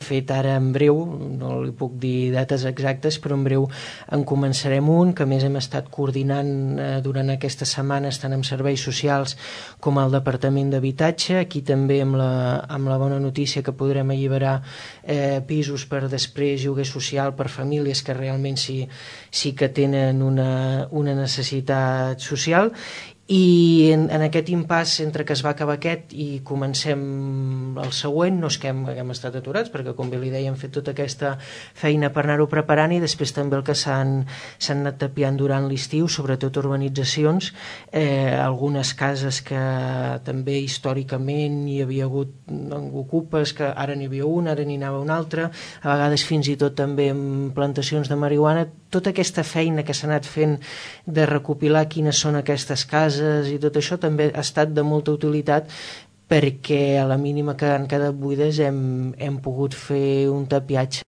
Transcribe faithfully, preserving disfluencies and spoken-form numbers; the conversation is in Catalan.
fet ara en breu, no li puc dir dates exactes, però en breu en començarem un, que a més hem estat coordinant eh, durant aquestes setmanes tant amb serveis socials com al Departament d'Habitatge. Aquí també amb la, amb la bona notícia que podrem alliberar eh, pisos per després lloguer social per famílies que realment sí, sí que tenen una, una necessitat social. I en, en aquest impàs entre que es va acabar aquest i comencem el següent, no és que hem, hem estat aturats, perquè com bé li deia hem fet tota aquesta feina per anar-ho preparant, i després també el que s'han anat tapiant durant l'estiu, sobretot urbanitzacions, eh, algunes cases que també històricament hi havia hagut ocupes, que ara n'hi havia una, ara n'hi anava una altra, a vegades fins i tot també amb plantacions de marihuana. Tota aquesta feina que s'ha anat fent de recopilar quines són aquestes cases i tot això també ha estat de molta utilitat, perquè a la mínima que han quedat buides hem, hem pogut fer un tapiatge